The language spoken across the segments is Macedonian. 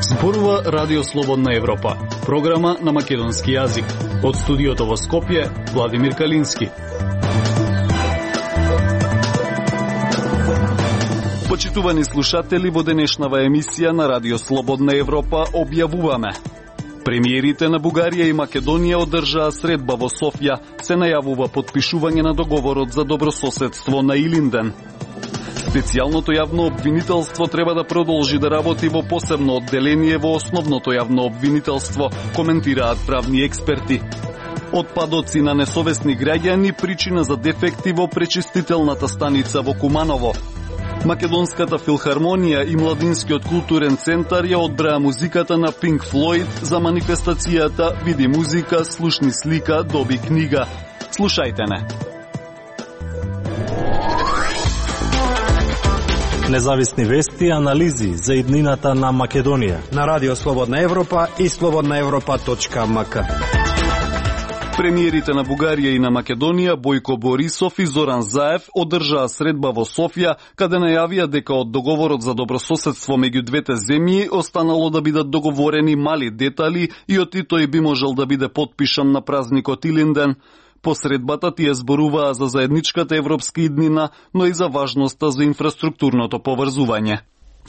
Зборува Радио Слободна Европа, програма на македонски јазик. Од студиото во Скопје, Владимир Калински. Почитувани слушатели, во денешнава емисија на Радио Слободна Европа објавуваме: премиерите на Бугарија и Македонија одржаа средба во Софија, се најавува подпишување на договорот за добрососедство на Илинден. Специјалното јавно обвинителство треба да продолжи да работи во посебно одделение во основното јавно обвинителство, коментираат правни експерти. Отпадоци на несовесни граѓани причина за дефекти во пречистителната станица во Куманово. Македонската филхармонија и Младинскиот културен центар ја одбраа музиката на Pink Floyd за манифестацијата "Види музика, слушни слика, доби книга". Слушајте не. Независни вести и анализи за иднината на Македонија на Радио Слободна Европа и slobodnaevropa.mk. Премиерите на Бугарија и на Македонија Бојко Борисов и Зоран Заев одржаа средба во Софија, каде најавија дека од договорот за добрососедство меѓу двете земји останало да бидат договорени мали детали и од тој би можел да биде потпишан на празникот Илинден. По средбата тие зборуваа за заедничката европска иднина, но и за важноста за инфраструктурното поврзување.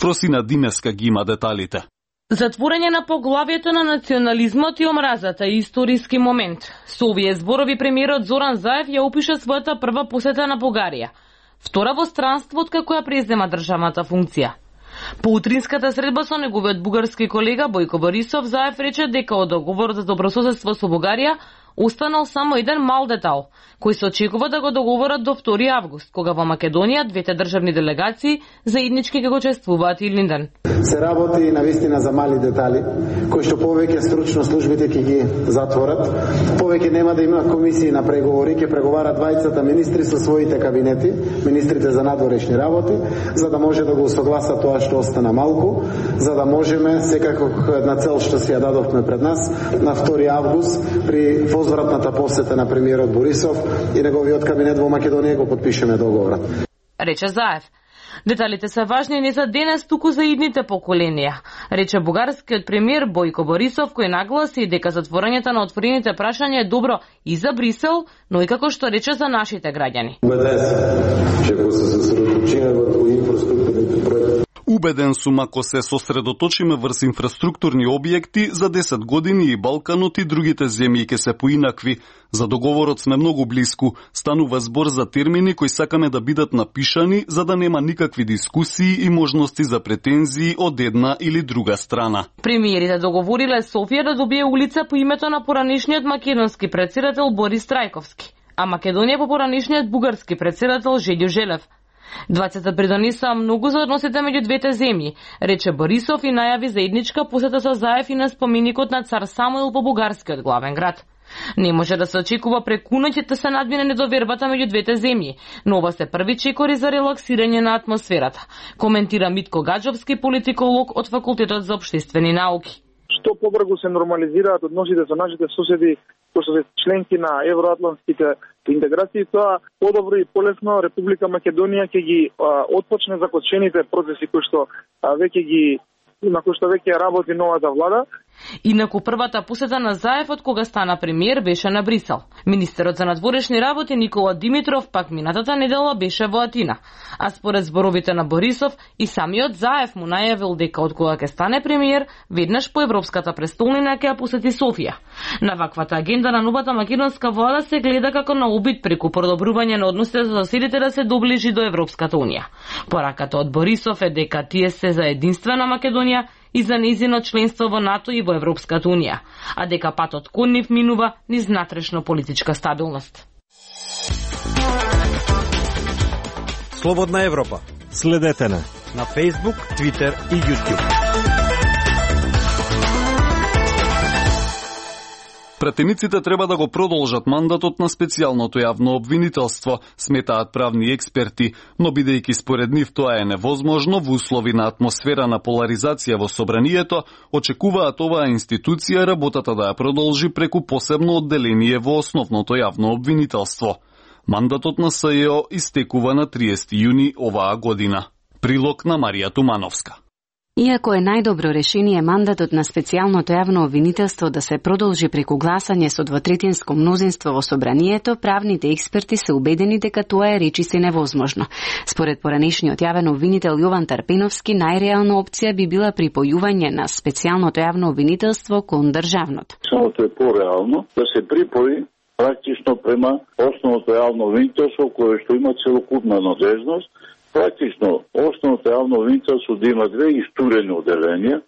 Фросина Димеска ги има деталите. Затворање на поглавието на национализмот и омразата е историски момент. Со овие зборови премиерот Зоран Заев ја опиша својата прва посета на Бугарија, втора во странство откако ја презема државната функција. По утринската средба со неговиот бугарски колега Бојко Борисов, Заев рече дека од договорот за добрососедство со Бугарија останал само еден мал детал, кој се очекува да го договорат до 2 август, кога во Македонија двете државни делегации заеднички ќе го чествуваат Илинден. Се работи навистина за мали детали, кои што повеќе стручно службите ќе ги затворат, повеќе нема да има комисии на преговори, ќе преговарат двајцата министри со своите кабинети, министрите за надворешни работи, за да може да го усогласат тоа што остана малку, за да можеме секако една цел што си ја дадовме пред нас на 2 август при возвратната посета на премиерот Борисов и неговиот кабинет во Македонија го подпишеме договорот. Рече Заев. Деталите се важни не за денес, туку за идните поколенија, рече бугарскиот премиер Бојко Борисов, кој нагласи дека затворањето на отворените прашања е добро и за Брисел, но и како што рече за нашите граѓани. Убеден сум, ако се сосредоточиме врз инфраструктурни објекти, за 10 години и Балканот и другите земји ќе се поинакви. За договорот сме многу блиску. Станува збор за термини кои сакаме да бидат напишани, за да нема никакви дискусии и можности за претензии од една или друга страна. Премиерите договориле Софија да добие улица по името на поранишниот македонски претседател Борис Трајковски, а Македонија по поранишниот бугарски претседател Желјо Желев. Двајцата придонесаа многу за односите меѓу двете земји, рече Борисов и најави заедничка посета со Заев и на споменикот на цар Самуил по бугарскиот главен град. Не може да се очекува преку ноќ да се надмине недовербата меѓу двете земји, но ова се први чекори за релаксирање на атмосферата, коментира Митко Гаджовски, политиколог од Факултетот за општествени науки. Што побрзо се нормализираат односите со нашите соседи, кои се членки на евроатлантските интеграции, тоа подобро и полесно Република Македонија ќе ги отпочне закочените процеси на кои што веќе работи новата влада. Инаку првата посета на Заев од кога стана премиер беше на Брисел. Министерот за надворешни работи Никола Димитров пак минатата недела беше во Атина. А според зборовите на Борисов и самиот Заев му најавил дека од кога ќе стане премиер, веднаш по европската престолнина ќе ја посети Софија. На ваквата агенда на новата македонска влада се гледа како на обид преку продобрување на односите со соседите да се доближи до Европската унија. Пораката од Борисов е дека тие се за единствена Македонија и за нејзино членство во НАТО и во Европската унија, а дека патот кон нив минува низ натрешно политичка стабилност. Слободна Европа. Следете на Facebook, Twitter и YouTube. Пратениците треба да го продолжат мандатот на специјалното јавно обвинителство, сметаат правни експерти, но бидејќи според нив тоа е невозможно во услови на атмосфера на поларизација во собранието, очекуваат оваа институција работата да ја продолжи преку посебно одделение во основното јавно обвинителство. Мандатот на СЈО истекува на 30 јуни оваа година. Прилог на Марија Тумановска. Иако е најдобро решение мандатот на специјалното јавно обвинителство да се продолжи преку гласање со двотретинско мнозинство во собранието, правните експерти се убедени дека тоа е речиси невозможно. Според поранешниот јавен обвинител Јован Тарпиновски, најреална опција би била припојување на специјалното јавно обвинителство кон државното. Самото е пореално да се припои практично према основното јавно обвинителство кое што има целокупна надежност. Практично, основното јавно обвинителство да има две истурени оделенија.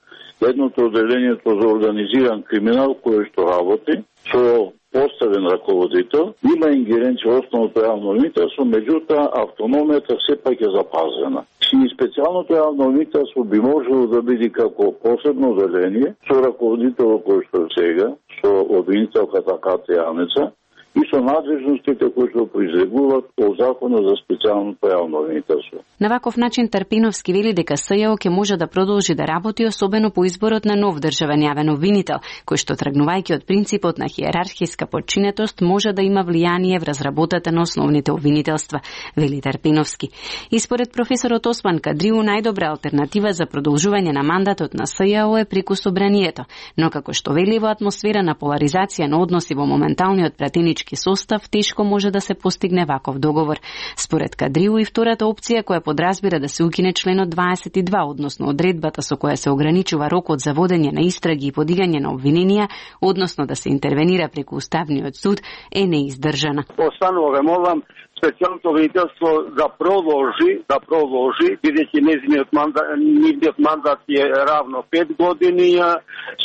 Едното оделението за организиран криминал кое што работи со поставен раководител. Има ингеренција основното јавно обвинителство, меѓутоа автономијата сепак е запазена. И специјалното јавно обвинителство би можело да биде како посебно оделение со раководител кој што сега, со обвинителката Катја Јанеца, и со надлежностите кои што произлегуваат од Законот за специјалното јавно обвинителство. На ваков начин Тарпиновски вели дека СЈО ќе може да продолжи да работи, особено по изборот на нов државен јавен обвинител, кој што тргнувајќи од принципот на хиерархиска подчинетост може да има влијание врз работата на основните обвинителства, вели Тарпиновски. И според професорот Осман Кадриу, најдобра алтернатива за продолжување на мандатот на СЈО е преку собранието, но како што вели, во атмосфера на поларизација на односи во моменталниот пратенички состав, тешко може да се постигне ваков договор. Според Кадриу и втората опција која подразбира да се укине членот 22, односно одредбата со која се ограничува рокот за водење на истраги и подигање на обвиненија, односно да се интервенира преку Уставниот суд, е неиздржана. Останува ве молам специјалното обвинителство да продолжи, бидејќи нивниот мандат е равно 5 години,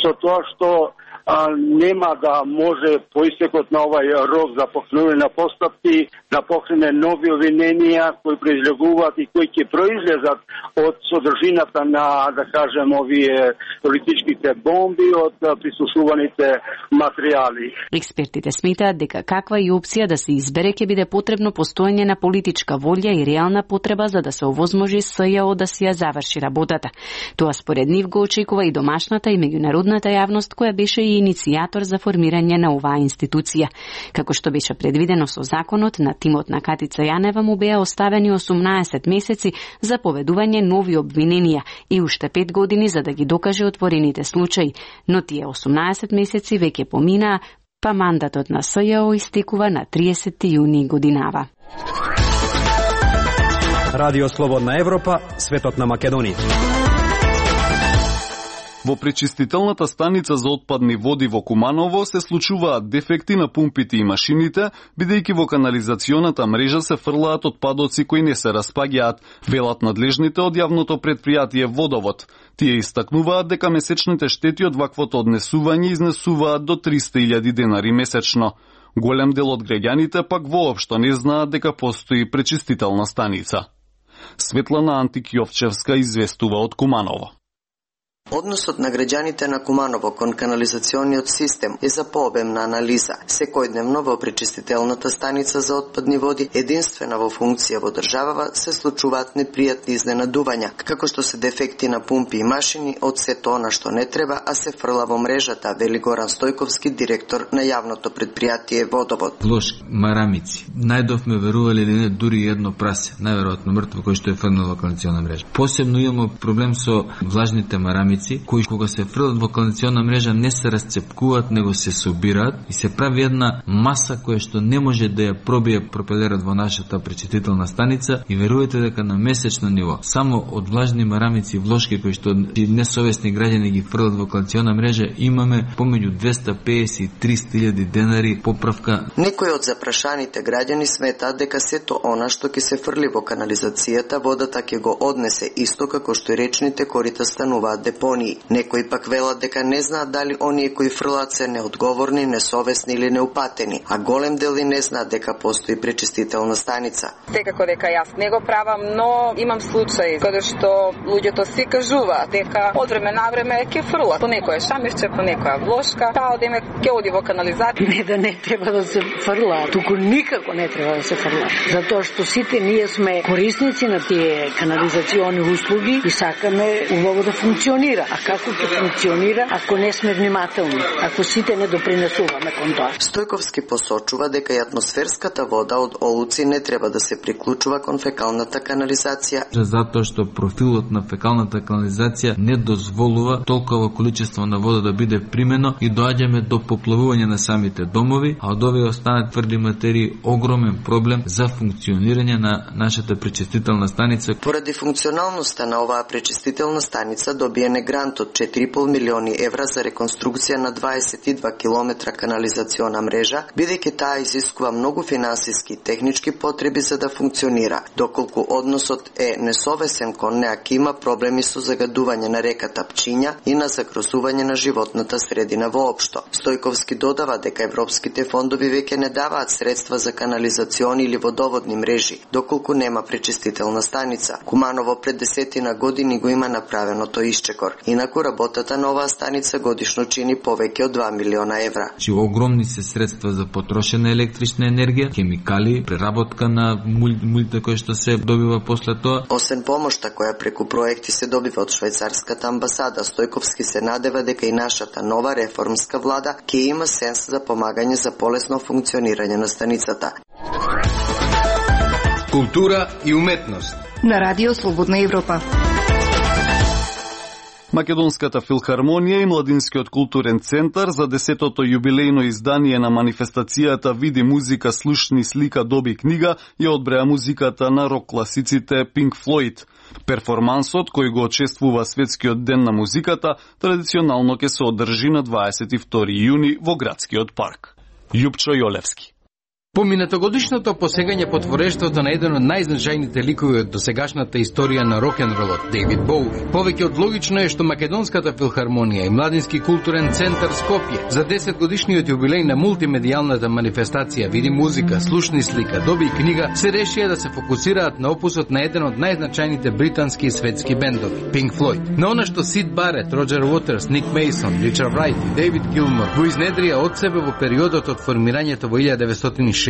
со тоа што нема да може по истекот на овај рок за покренување на постапки да покрене нови обвиненија кои произлегуваат и кои ќе произлезат од содржината на, да кажем, овие политичките бомби, од прислушуваните материјали. Експертите сметаат дека каква и опција да се избере ќе биде потребно постоење на политичка волја и реална потреба за да се овозможи СЈО да си ја заврши работата. Тоа според нив го очекува и домашната и меѓународната јавност која беше и иницијатор за формирање на оваа институција. Како што беше предвидено со законот, на тимот на Катица Јанева му беа оставени 18 месеци за поведување нови обвиненија и уште 5 години за да ги докаже отворените случаи, но тие 18 месеци веќе поминаа, па мандатот на СЈО истекува на 30 јуни годинава. Радио Слободна Европа, светот на Македонија. Во пречистителната станица за отпадни води во Куманово се случуваат дефекти на пумпите и машините, бидејќи во канализационата мрежа се фрлаат отпадоци кои не се распаѓаат, велат надлежните од јавното претпријатие Водовод. Тие истакнуваат дека месечните штети од ваквото однесување изнесуваат до 300.000 денари месечно. Голем дел од граѓаните пак воопшто не знаат дека постои пречистителна станица. Светлана Антик-Јовчевска известува од Куманово. Односот на граѓаните на Куманово кон канализациониот систем е за пообемна анализа. Секојдневно во пречистителната станица за отпадни води, единствена во функција во државава, се случуваат непријатни изненадувања, како што се дефекти на пумпи и машини од сето она што не треба, а се фрла во мрежата, вели Горан Стојковски, директор на јавното претпријатие Водовод. Лошки, марамици. Најдовме верували или не дури едно прасе, најверојатно мртво кој што е фрнал во канализационна мрежа. Посебно имаме проблем со влажните марамици, кои кога се фрлат во канализационна мрежа не се расцепкуваат, него се собираат и се прави една маса која што не може да ја пробие пропелерот во нашата пречистителна станица и верувате дека на месечно ниво само од влажни марамици и влошки кои што несовесни граѓани ги фрлат во канализационна мрежа имаме помеѓу 250 и 300.000 денари поправка. Некои од запрашаните граѓани сметаат дека сето она што ќе се фрли во канализацијата водата ќе го однесе исто како што и речните корита стануваат депонии. Некои пак велат дека не знаат дали оние кои фрлаат се неодговорни, несовесни или неупатени, а голем дел и не знаат дека постои пречистителна станица. Секако дека јас не го правам, но имам случаи каде што луѓето си кажуваат дека од време на време ќе фрлат по некоја шамирче, по некоја влошка, па одиме ќе оди во канализација. Не да не треба да се фрла, туку никако не треба да се фрла, затоа што сите ние сме корисници на тие канализациони услуги и сакаме убаво да функционира. функционира. А како ќе функционира ако не сме внимателни, ако сите не допринесуваме кон тоа? Стојковски посочува дека и атмосферската вода од олуци не треба да се приклучува кон фекалната канализација. Затоа што профилот на фекалната канализација не дозволува толкова количество на вода да биде примено и доаѓаме до поплавување на самите домови, а од овие останат тврди материи огромен проблем за функционирање на нашата пречистителна станица. Поради функционалноста на оваа пречистителна станица добиен е грант од 4,5 милиони евра за реконструкција на 22 километра канализациона мрежа, бидејќи таа изискува многу финансиски и технички потреби за да функционира, доколку односот е несовесен кон неа, ќе има проблеми со загадување на реката Пчиња и на загрозување на животната средина воопшто. Стојковски додава дека европските фондови веќе не даваат средства за канализациони или водоводни мрежи, доколку нема пречистителна станица. Куманово пред 10 години го има направено тој исчекор. Инаку работата на оваа станица годишно чини повеќе од 2 милиона евра. Огромни се средства за потрошена електрична енергија, хемикали, преработка на мулите кои што се добива после тоа. Освен помошта која преку проекти се добива од швајцарската амбасада, Стојковски се надева дека и нашата нова реформска влада ќе има сенс за помагање за полесно функционирање на станицата. Култура и уметност на Радио Слободна Европа. Македонската филхармонија и Младинскиот културен центар за 10-то јубилејно издание на манифестацијата Види музика, слушни слика, доби книга ја одбреа музиката на рок класиците Pink Floyd. Перформансот, кој го очествува Светскиот ден на музиката, традиционално ќе се одржи на 22 јуни во градскиот парк. Јупчо Јолевски. Поминатогодишното посегање по творештвото на еден од најзначајните ликови од досегашната историја на рок-н-ролот, Дејвид Боуи. Повеќе од логично е што Македонската филхармонија и Младински културен центар Скопје за 10 годишниот јубилеј на мултимедијалната манифестација Види музика, слушни слика, доби книга се решија да се фокусираат на опусот на еден од најзначајните британски и светски бендови, Pink Floyd. На она што Сид Барет, Роджер Уотерс, Ник Мейсон, Ричард Райт и Дејвид Гилмор го изнедрија од себе во периодот од формирањето во 1964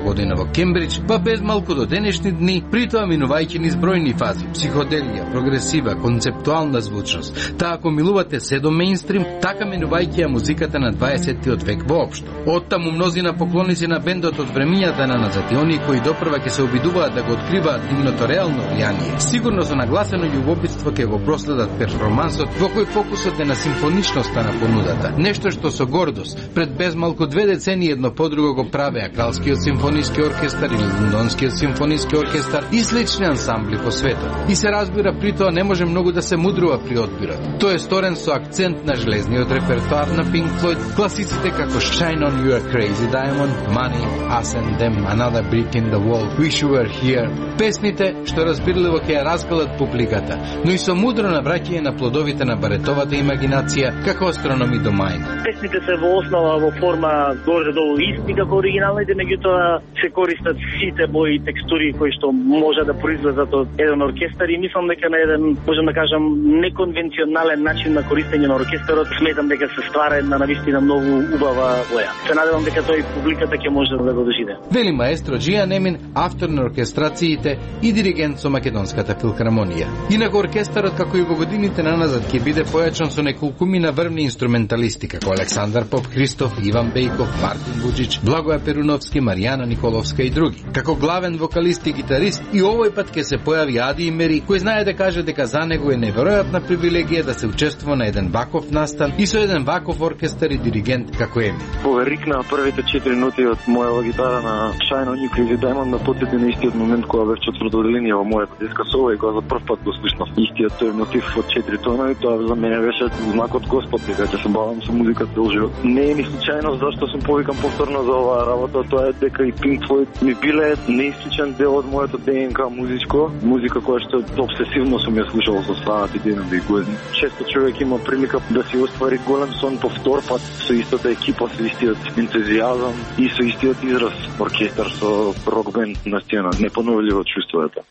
година во Кембридж, па без малку до денешни дни, притоа минувајќи низ бројни фази, психоделија, прогресива, концептуална звучност. Таа ако милувате се до мејнстрим, така минувајќи ја музиката на 20-тиот век воопшто. Оттаму мнозина поклоници на бендот од времињата на назад и оние кои допрва ќе се обидуваат да го откриваат нивното реално влијание, сигурно со нагласено љубопитство ќе го проследат перформансот во кој фокусот е на симфоничноста на понудата. Нешто што со гордост пред без малку 2 децении едно подруго го правеа Кралскиот симфониски оркестар или Лондонскиот симфониски оркестар и слични ансамбли по светот. И се разбира, при тоа не може многу да се мудрува при одбирот. Тој е сторен со акцент на железниот репертоар на Pink Floyd, класиците како Shine On You A Crazy Diamond, Money, Us and Them, Another Brick in the Wall, Wish You Were Here. Песните што разбирливо ќе ја раскалат публиката, но и со мудро навраќање на плодовите на баретовата имагинација како астрономи до мајна. Песните се во основа во форма горе-долу исти како оригиналните, меѓутоа се користат сите бои и текстури кои што може да произлезат од еден оркестар и мислам дека на еден, можам да кажам, неконвенционален начин на користење на оркестарот, сметам дека се ствара една навистина многу убава боја. Се надевам дека тој публиката ќе може да го доживее. Вели маестро Джија Немин, автор на оркестрациите и диригент со Македонската филхармонија. Инаку оркестарот како и во годините наназад ќе биде појачен со неколкумина врвни инструменталисти како Александар Поп Христов, Иван Бејков, Мартин Буџич, Благоја Перуновски, Маријана Николовска и други. Како главен вокалист и гитарист и овој пат ќе се појави Ади Имери, кој знае да каже дека за него е неверојатна привилегија да се учествува на еден ваков настан и со еден ваков оркестар и диригент како Еми. Поверикна првите 4 ноти од мојава гитара на Shine On You Crazy Diamond на потети на истиот момент кога бев четврто одделение во мојата детска соба и кога за прв пат го слушнав истиот тој мотив од 4 тонови, тоа за мене беше знак од Господ дека ќе се бавам со музика цел живот. Не е ни случајно зашто сум повикан повторно за оваа работа, тоа е дека и Pink Floyd ми биле неисклучен дел од моето ДНК музичко, музика која што обсесивно сум ја слушал со саати денови и години. Често човек има прилика да си оствари голем сон по втор пат со истата екипа, со истиот ентузијазам и со истиот израз оркестар со рок бенд на сцена. Непоновливо чувство е тоа.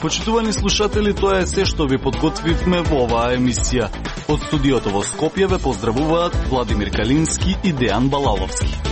Почитувани слушатели, тоа е се што ви подготвивме во оваа емисија. Од студиото во Скопје ве поздравуваат Владимир Калински и Дејан Балаловски.